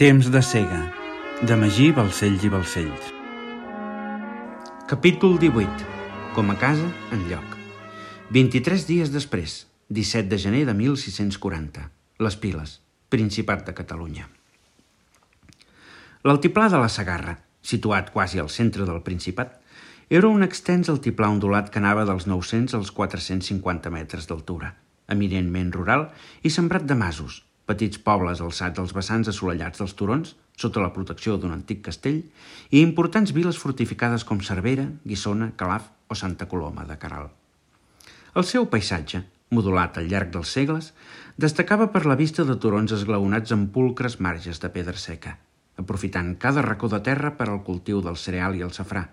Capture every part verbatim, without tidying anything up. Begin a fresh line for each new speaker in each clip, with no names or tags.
Temps de cega, de Magí Balcells i Balcells. Capítol divuit. Com a casa, enlloc. vint-i-tres dies després, disset de gener de mil sis-cents quaranta. Les Piles, Principat de Catalunya. L'altiplà de la Segarra, situat quasi al centre del Principat, era un extens altiplà ondulat que anava dels nou-cents als quatre-cents cinquanta metres d'altura, eminentment rural i sembrat de masos, petits pobles alçats als vessants assolellats dels turons, sota la protecció d'un antic castell, i importants viles fortificades com Cervera, Guissona, Calaf o Santa Coloma de Queralt. El seu paisatge, modulat al llarg dels segles, destacava per la vista de turons esglaonats amb pulcres marges de pedra seca, aprofitant cada racó de terra per al cultiu del cereal i el safrà,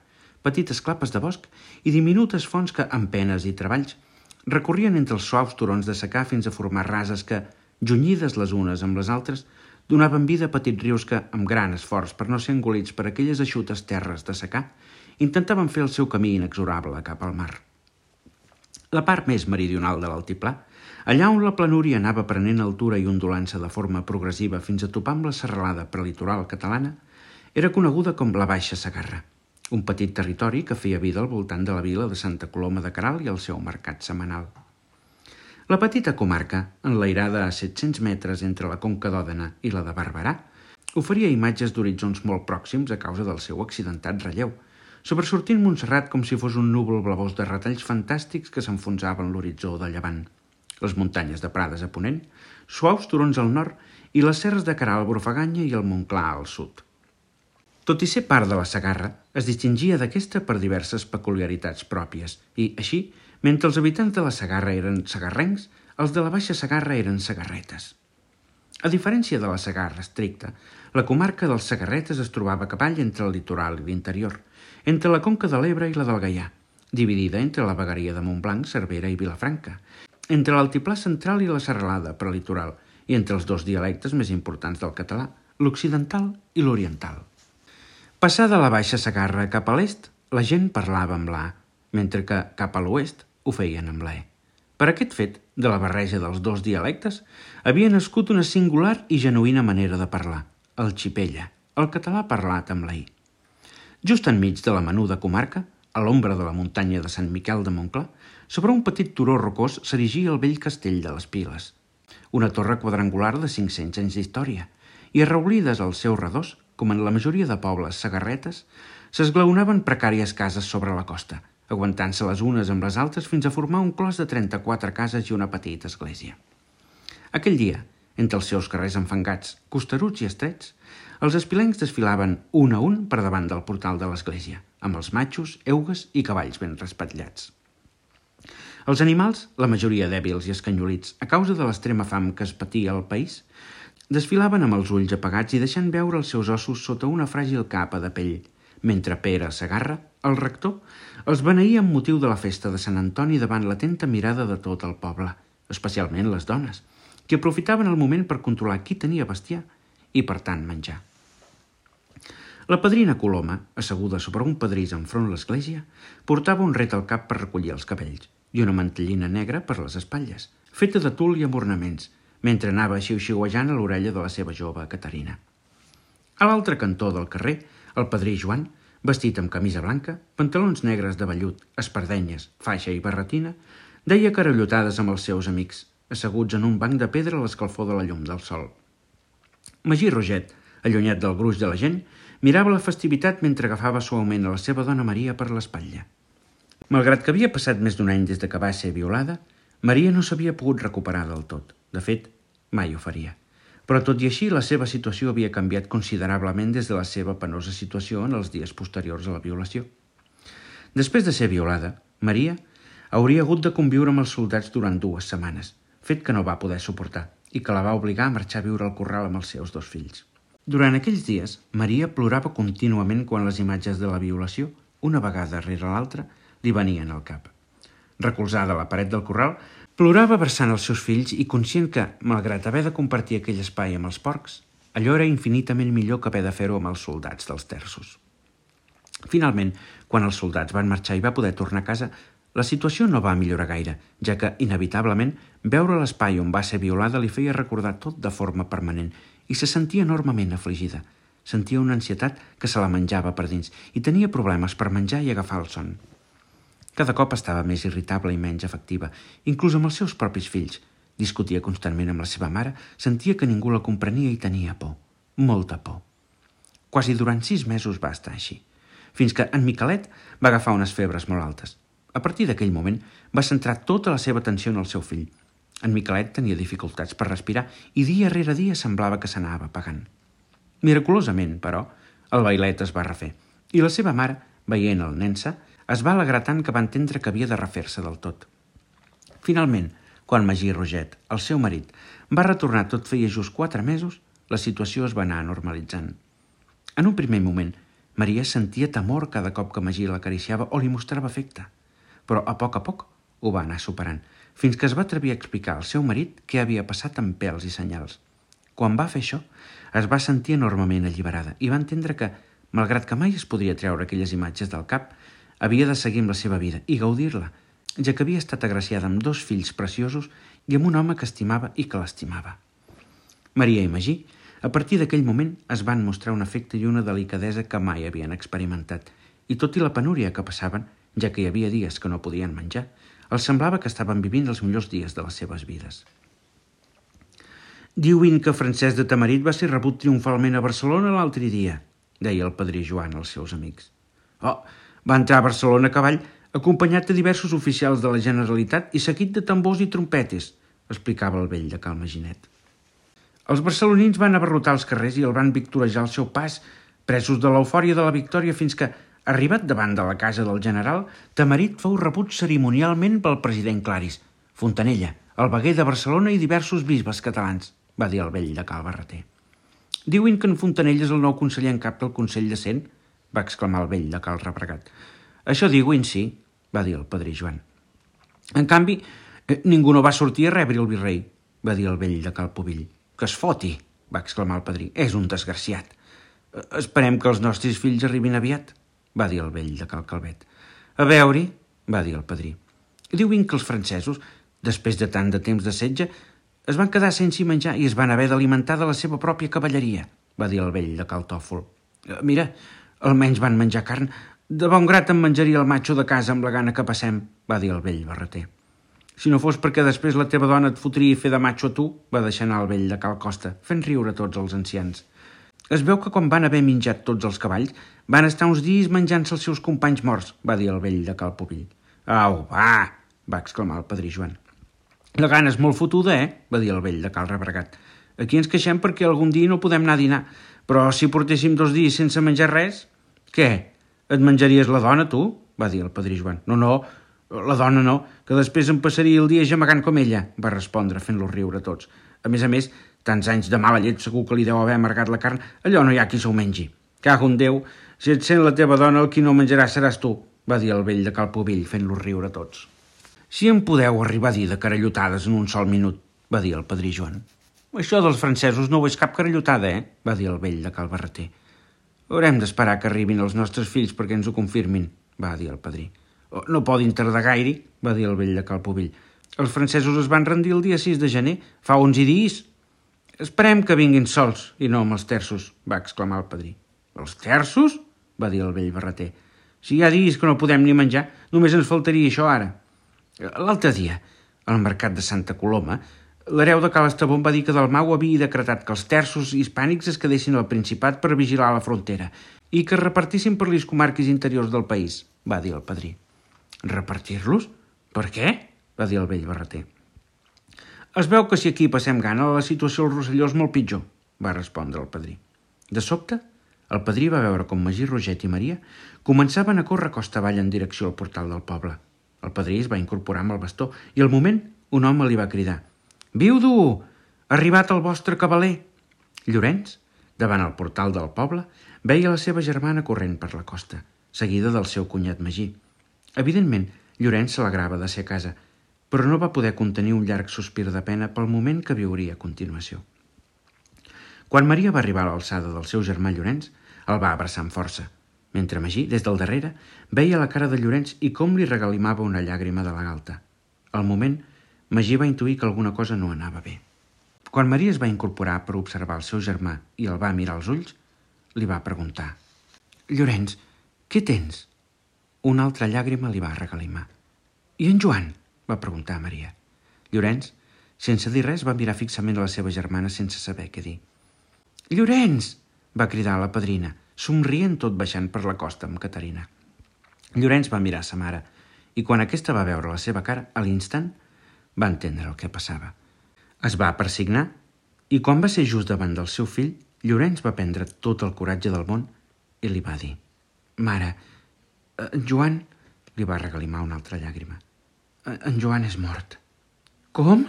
petites clapes de bosc i diminutes fonts que, amb penes i treballs, recorrien entre els suaus turons de secà fins a formar rases que, junyides les unes amb les altres, donaven vida a petits rius que, amb gran esforç per no ser engolits per aquelles eixutes terres de secà, intentaven fer el seu camí inexorable cap al mar. La part més meridional de l'altiplà, allà on la planúria anava prenent altura i ondulant-se de forma progressiva fins a topar amb la serralada prelitoral catalana, era coneguda com la Baixa Segarra, un petit territori que feia vida al voltant de la vila de Santa Coloma de Queralt i el seu mercat setmanal. La petita comarca, enlairada a set-cents metres entre la Conca d'Òdena i la de Barberà, oferia imatges d'horitzons molt pròxims a causa del seu accidentat relleu, sobresortint Montserrat com si fos un núvol blavós de retalls fantàstics que s'enfonsaven l'horitzó de llevant, les muntanyes de Prades a ponent, suaus turons al nord i les serres de Queralt, Brofaganya i el Montclar al sud. Tot i ser part de la Segarra, es distingia d'aquesta per diverses peculiaritats pròpies i, així, mentre els habitants de la Segarra eren segarrencs, els de la Baixa Segarra eren segarretes. A diferència de la Segarra estricta, la comarca dels segarretes es trobava a cavall entre el litoral i l'interior, entre la Conca de l'Ebre i la del Gaià, dividida entre la vegueria de Montblanc, Cervera i Vilafranca, entre l'altiplà central i la serralada prelitoral i entre els dos dialectes més importants del català, l'occidental i l'oriental. Passada la Baixa Segarra cap a l'est, la gent parlava amb l'A, mentre que cap a l'oest ho feien amb l'E. Per aquest fet, de la barreja dels dos dialectes, havia nascut una singular i genuïna manera de parlar, el xipella, el català parlat amb la I. Just enmig de la menuda comarca, a l'ombra de la muntanya de Sant Miquel de Montclar, sobre un petit turó rocós s'erigia el vell castell de les Piles, una torre quadrangular de cinc-cents anys d'història, i arraulides als seus redors, com en la majoria de pobles segarretes, s'esglaonaven precàries cases sobre la costa, aguantant-se les unes amb les altres fins a formar un clos de trenta-quatre cases i una petita església. Aquell dia, entre els seus carrers enfangats, costeruts i estrets, els espilencs desfilaven un a un per davant del portal de l'església, amb els matxos, eugues i cavalls ben respatllats. Els animals, la majoria dèbils i escanyolits, a causa de l'extrema fam que es patia al país, desfilaven amb els ulls apagats i deixant veure els seus ossos sota una fràgil capa de pell, mentre Pere Segarra, el rector, els beneïa amb motiu de la festa de Sant Antoni davant l'atenta mirada de tot el poble, especialment les dones, que aprofitaven el moment per controlar qui tenia bestiar i, per tant, menjar. La padrina Coloma, asseguda sobre un pedrís enfront l'església, portava un ret al cap per recollir els cabells i una mantellina negra per les espatlles, feta de tul i amb ornaments, mentre anava xiu-xiuejant a l'orella de la seva jove Caterina. A l'altre cantó del carrer, el padrí Joan, vestit amb camisa blanca, pantalons negres de vellut, espardenyes, faixa i barretina, deia carallotades amb els seus amics, asseguts en un banc de pedra a l'escalfor de la llum del sol. Magí Roget, allunyat del gruix de la gent, mirava la festivitat mentre agafava suaument a la seva dona Maria per l'espatlla. Malgrat que havia passat més d'un any des de que va ser violada, Maria no s'havia pogut recuperar del tot. De fet, mai ho faria. Però tot i així, la seva situació havia canviat considerablement des de la seva penosa situació en els dies posteriors a la violació. Després de ser violada, Maria hauria hagut de conviure amb els soldats durant dues setmanes, fet que no va poder suportar i que la va obligar a marxar a viure al corral amb els seus dos fills. Durant aquells dies, Maria plorava contínuament quan les imatges de la violació, una vegada rere l'altra, li venien al cap. Recolzada a la paret del corral, plorava abraçant els seus fills i conscient que, malgrat haver de compartir aquell espai amb els porcs, allò era infinitament millor que haver de fer-ho amb els soldats dels terços. Finalment, quan els soldats van marxar i va poder tornar a casa, la situació no va millorar gaire, ja que, inevitablement, veure l'espai on va ser violada li feia recordar tot de forma permanent i se sentia enormement afligida. Sentia una ansietat que se la menjava per dins i tenia problemes per menjar i agafar el son. Cada cop estava més irritable i menys efectiva, inclús amb els seus propis fills. Discutia constantment amb la seva mare, sentia que ningú la comprenia i tenia por, molta por. Quasi durant sis mesos va estar així, fins que en Miquelet va agafar unes febres molt altes. A partir d'aquell moment va centrar tota la seva atenció en el seu fill. En Miquelet tenia dificultats per respirar i dia rere dia semblava que s'anava apagant. Miraculosament, però, el bailet es va refer i la seva mare, veient el nen sa, es va alegrar tant que va entendre que havia de refer-se del tot. Finalment, quan Magí Roget, el seu marit, va retornar tot feia just quatre mesos, la situació es va anar normalitzant. En un primer moment, Maria sentia temor cada cop que Magí l'acariciava o li mostrava afecte, però a poc a poc ho va anar superant, fins que es va atrevir a explicar al seu marit què havia passat amb pèls i senyals. Quan va fer això, es va sentir enormement alliberada i va entendre que, malgrat que mai es podria treure aquelles imatges del cap, havia de seguir amb la seva vida i gaudir-la, ja que havia estat agraciada amb dos fills preciosos i amb un home que estimava i que l'estimava. Maria i Magí, a partir d'aquell moment, es van mostrar un afecte i una delicadesa que mai havien experimentat, i tot i la penúria que passaven, ja que hi havia dies que no podien menjar, els semblava que estaven vivint els millors dies de les seves vides. Diuen que Francesc de Tamarit va ser rebut triomfalment a Barcelona l'altre dia, deia el padrí Joan als seus amics. Oh, va entrar a Barcelona a cavall, acompanyat de diversos oficials de la Generalitat i seguit de tambors i trompetes, explicava el vell de Cal Maginet. Els barcelonins van abarrotar els carrers i el van victorejar al seu pas, presos de l'eufòria de la victòria fins que, arribat davant de la casa del general, Tamarit fou rebut cerimonialment pel president Claris, Fontanella, el veguer de Barcelona i diversos bisbes catalans, va dir el vell de Cal Barreter. Diuen que en Fontanella és el nou conseller en cap del Consell de Cent, va exclamar el vell de Cal Rebregat. Això diuen, sí, va dir el padrí Joan. En canvi, ningú no va sortir a rebre el virrei, va dir el vell de Cal Povill. Que es foti, va exclamar el padrí. És un desgraciat. Esperem que els nostres fills arribin aviat, va dir el vell de Cal Calvet. A veure-hi, va dir el padrí. Diuen que els francesos, després de tant de temps de setge, es van quedar sense menjar i es van haver d'alimentar de la seva pròpia cavalleria, va dir el vell de Cal Tòfol. Mira, almenys van menjar carn. De bon grat em menjaria el matxo de casa amb la gana que passem, va dir el vell Barreter. Si no fos perquè després la teva dona et fotria fer de matxo a tu, va deixar anar el vell de Cal Costa, fent riure tots els ancians. Es veu que quan van haver menjat tots els cavalls, van estar uns dies menjant-se els seus companys morts, va dir el vell de Cal Povill. Au, va, va exclamar el padrí Joan. La gana és molt fotuda, eh? Va dir el vell de Cal Rebregat. Aquí ens queixem perquè algun dia no podem anar a dinar, però si portéssim dos dies sense menjar res... Què? Et menjaries la dona, tu? Va dir el padrí Joan. No, no, la dona no, que després em passaria el dia gemegant com ella, va respondre fent-los riure tots. A més a més, tants anys de mala llet segur que li deu haver amargat la carn, allò no hi ha qui se'l mengi. Cago en Déu, si et sent la teva dona, el qui no menjarà seràs tu, va dir el vell de Cal Povill fent-los riure tots. Si em podeu arribar a dir de carallotades en un sol minut, va dir el padrí Joan. Això dels francesos no ho és cap carallotada, eh? Va dir el vell de Cal Barreter. Haurem d'esperar que arribin els nostres fills perquè ens ho confirmin, va dir el padrí. No poden tardar gaire, va dir el vell de Cal Povill. Els francesos es van rendir el dia sis de gener, fa onze dies. Esperem que vinguin sols i no amb els terços, va exclamar el padrí. Els terços? Va dir el vell Barreter. Si hi ha dies que no podem ni menjar, només ens faltaria això ara. L'altre dia, al mercat de Santa Coloma, l'hereu de Cal Estabón va dir que Dalmau havia decretat que els terços hispànics es quedessin al Principat per vigilar la frontera i que es repartissin per les comarques interiors del país, va dir el padrí. Repartir-los? Per què? Va dir el vell Barreter. Es veu que si aquí passem gana, la situació al Rosselló és molt pitjor, va respondre el padrí. De sobte, el padrí va veure com Magí Roget i Maria començaven a córrer costa avall en direcció al portal del poble. El padrí es va incorporar amb el bastó i al moment un home li va cridar: «Viudo! Ha arribat el vostre cavaler!» Llorenç, davant el portal del poble, veia la seva germana corrent per la costa, seguida del seu cunyat Magí. Evidentment, Llorenç s'alegrava de ser a casa, però no va poder contenir un llarg sospir de pena pel moment que viuria a continuació. Quan Maria va arribar a l'alçada del seu germà Llorenç, el va abraçar amb força, mentre Magí, des del darrere, veia la cara de Llorenç i com li regalimava una llàgrima de la galta. Al moment, Magí va intuir que alguna cosa no anava bé. Quan Maria es va incorporar per observar el seu germà i el va mirar als ulls, li va preguntar: «Llorenç, què tens?» Una altra llàgrima li va regalimar. «I en Joan?», va preguntar Maria. Llorenç, sense dir res, va mirar fixament a la seva germana sense saber què dir. «Llorenç!», va cridar la padrina, somrient tot baixant per la costa amb Caterina. Llorenç va mirar a sa mare i quan aquesta va veure la seva cara, a l'instant va entendre el que passava. Es va persignar i quan va ser just davant del seu fill, Llorenç va prendre tot el coratge del món i li va dir: «Mare, en Joan…» li va regalimar una altra llàgrima. «En Joan és mort». «Com?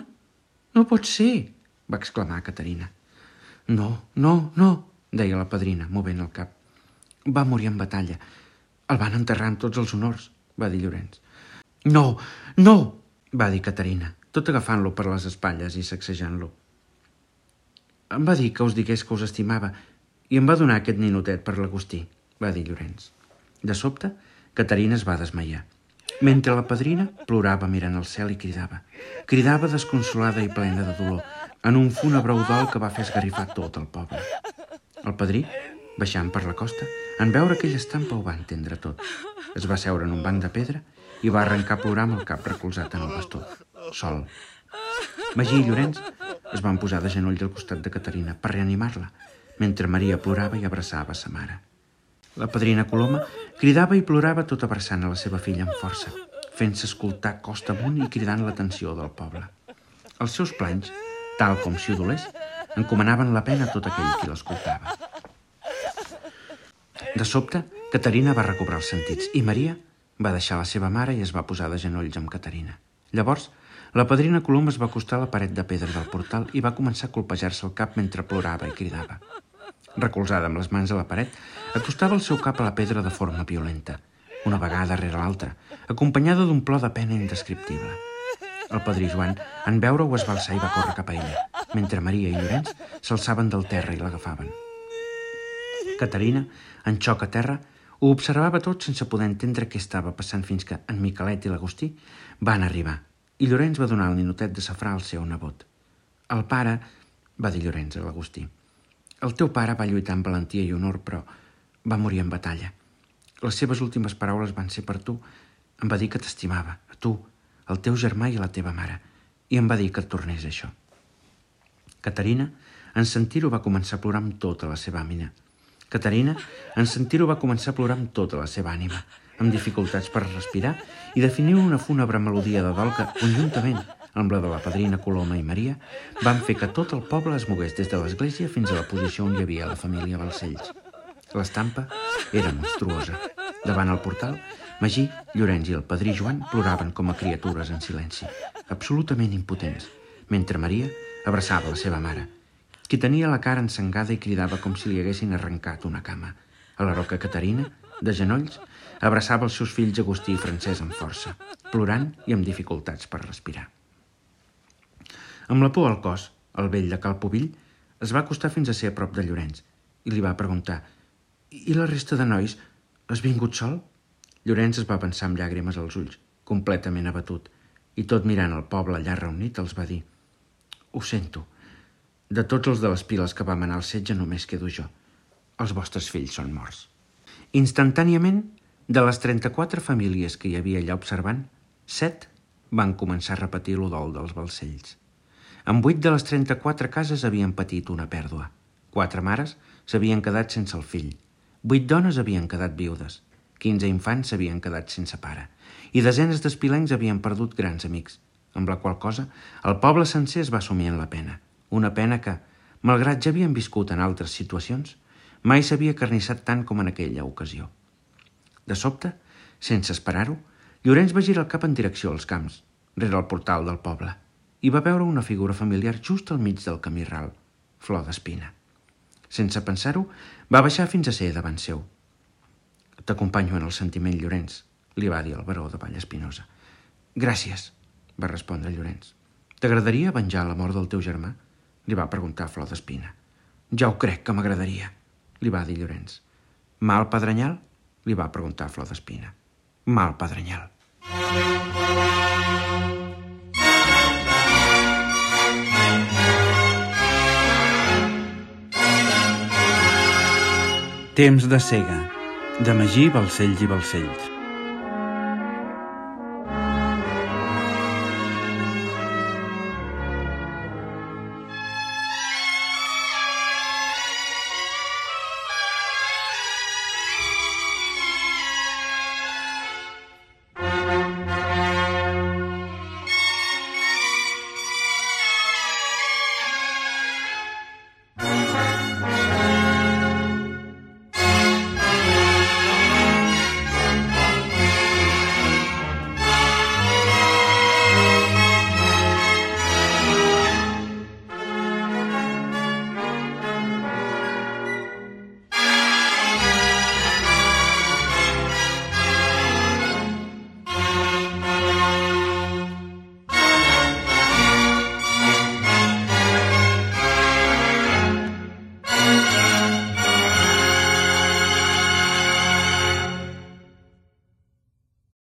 No pot ser!», va exclamar Caterina. «No, no, no», deia la padrina, movent el cap. «Va morir en batalla. El van enterrar amb tots els honors», va dir Llorenç. «No, no!», va dir Caterina, tot agafant-lo per les espatlles i sacsejant-lo. «Em va dir que us digués que us estimava i em va donar aquest ninotet per l'Agustí», va dir Llorenç. De sobte, Caterina es va desmaiar. Mentre la padrina plorava mirant al cel i cridava. Cridava desconsolada i plena de dolor, en un fúnebre udol que va fer esgarrifar tot el poble. El padrí, baixant per la costa, en veure aquella estampa ho va entendre tot. Es va seure en un banc de pedra i va arrencar a plorar amb el cap recolzat en el bastó, sol. Magí i Llorenç es van posar de genolls al costat de Caterina per reanimar-la, mentre Maria plorava i abraçava sa mare. La padrina Coloma cridava i plorava tot abraçant a la seva filla amb força, fent-se escoltar costa amunt i cridant l'atenció del poble. Els seus planys, tal com si ho dolés, encomanaven la pena a tot aquell qui l'escoltava. De sobte, Caterina va recobrar els sentits i Maria va deixar la seva mare i es va posar de genolls amb Caterina. Llavors, la padrina Coloma es va acostar a la paret de pedra del portal i va començar a colpejar-se el cap mentre plorava i cridava. Recolzada amb les mans a la paret, acostava el seu cap a la pedra de forma violenta, una vegada rere l'altra, acompanyada d'un plor de pena indescriptible. El padrí Joan, en veure-ho, es va alçar i va córrer cap a ella, mentre Maria i Llorenç s'alçaven del terra i l'agafaven. Caterina, en xoc a terra, ho observava tot sense poder entendre què estava passant fins que en Miquelet i l'Agustí van arribar i Llorenç va donar el ninotet de safrà al seu nebot. «El pare…», va dir Llorenç a l'Agustí. «El teu pare va lluitar amb valentia i honor, però va morir en batalla. Les seves últimes paraules van ser per tu. Em va dir que t'estimava, a tu, el teu germà i a la teva mare, i em va dir que et tornés això». Caterina, en sentir-ho, va començar a plorar amb tota la seva ànima. Caterina, en sentir-ho, va començar a plorar amb tota la seva ànima, amb dificultats per respirar i definir una fúnebre melodia de dol que, conjuntament amb la de la padrina Coloma i Maria, van fer que tot el poble es mogués des de l'església fins a la posició on hi havia la família Balcells. L'estampa era monstruosa. Davant el portal, Magí, Llorenç i el padrí Joan ploraven com a criatures en silenci, absolutament impotents, mentre Maria abraçava la seva mare, qui tenia la cara ensangada i cridava com si li haguessin arrencat una cama. A la roca Caterina, de genolls, abraçava els seus fills Agustí i Francesc amb força, plorant i amb dificultats per respirar. Amb la por al cos, el vell de Cal Pubill es va acostar fins a ser a prop de Llorenç i li va preguntar: «I la resta de nois, has vingut sol?». Llorenç es va pensar amb llàgrimes als ulls, completament abatut, i tot mirant el poble allà reunit els va dir: «Ho sento. De tots els de les piles que vam anar al setge només quedo jo. Els vostres fills són morts». Instantàniament, de les trenta-quatre famílies que hi havia allà observant, set van començar a repetir l'udol dels Balcells. En vuit de les trenta-quatre cases havien patit una pèrdua. Quatre mares s'havien quedat sense el fill. Vuit dones havien quedat viudes. Quinze infants s'havien quedat sense pare. I desenes d'espilencs havien perdut grans amics, amb la qual cosa el poble sencer es va assumir en la pena. Una pena que, malgrat ja havien viscut en altres situacions, mai s'havia carnissat tant com en aquella ocasió. De sobte, sense esperar-ho, Llorenç va girar el cap en direcció als camps, rere el portal del poble, i va veure una figura familiar just al mig del camí ral, Flor d'Espina. Sense pensar-ho, va baixar fins a ser davant seu. «T'acompanyo en el sentiment, Llorenç», li va dir el baró de Vallespinosa. «Gràcies», va respondre Llorenç. «T'agradaria venjar la mort del teu germà?», li va preguntar Flor d'Espina. «Ja ho crec que m'agradaria», li va dir Llorenç. «Mal pedrenyal?», li va preguntar Flor d'Espina. «Mal pedrenyal». Temps de cega, de Magí Balcells i Balcells.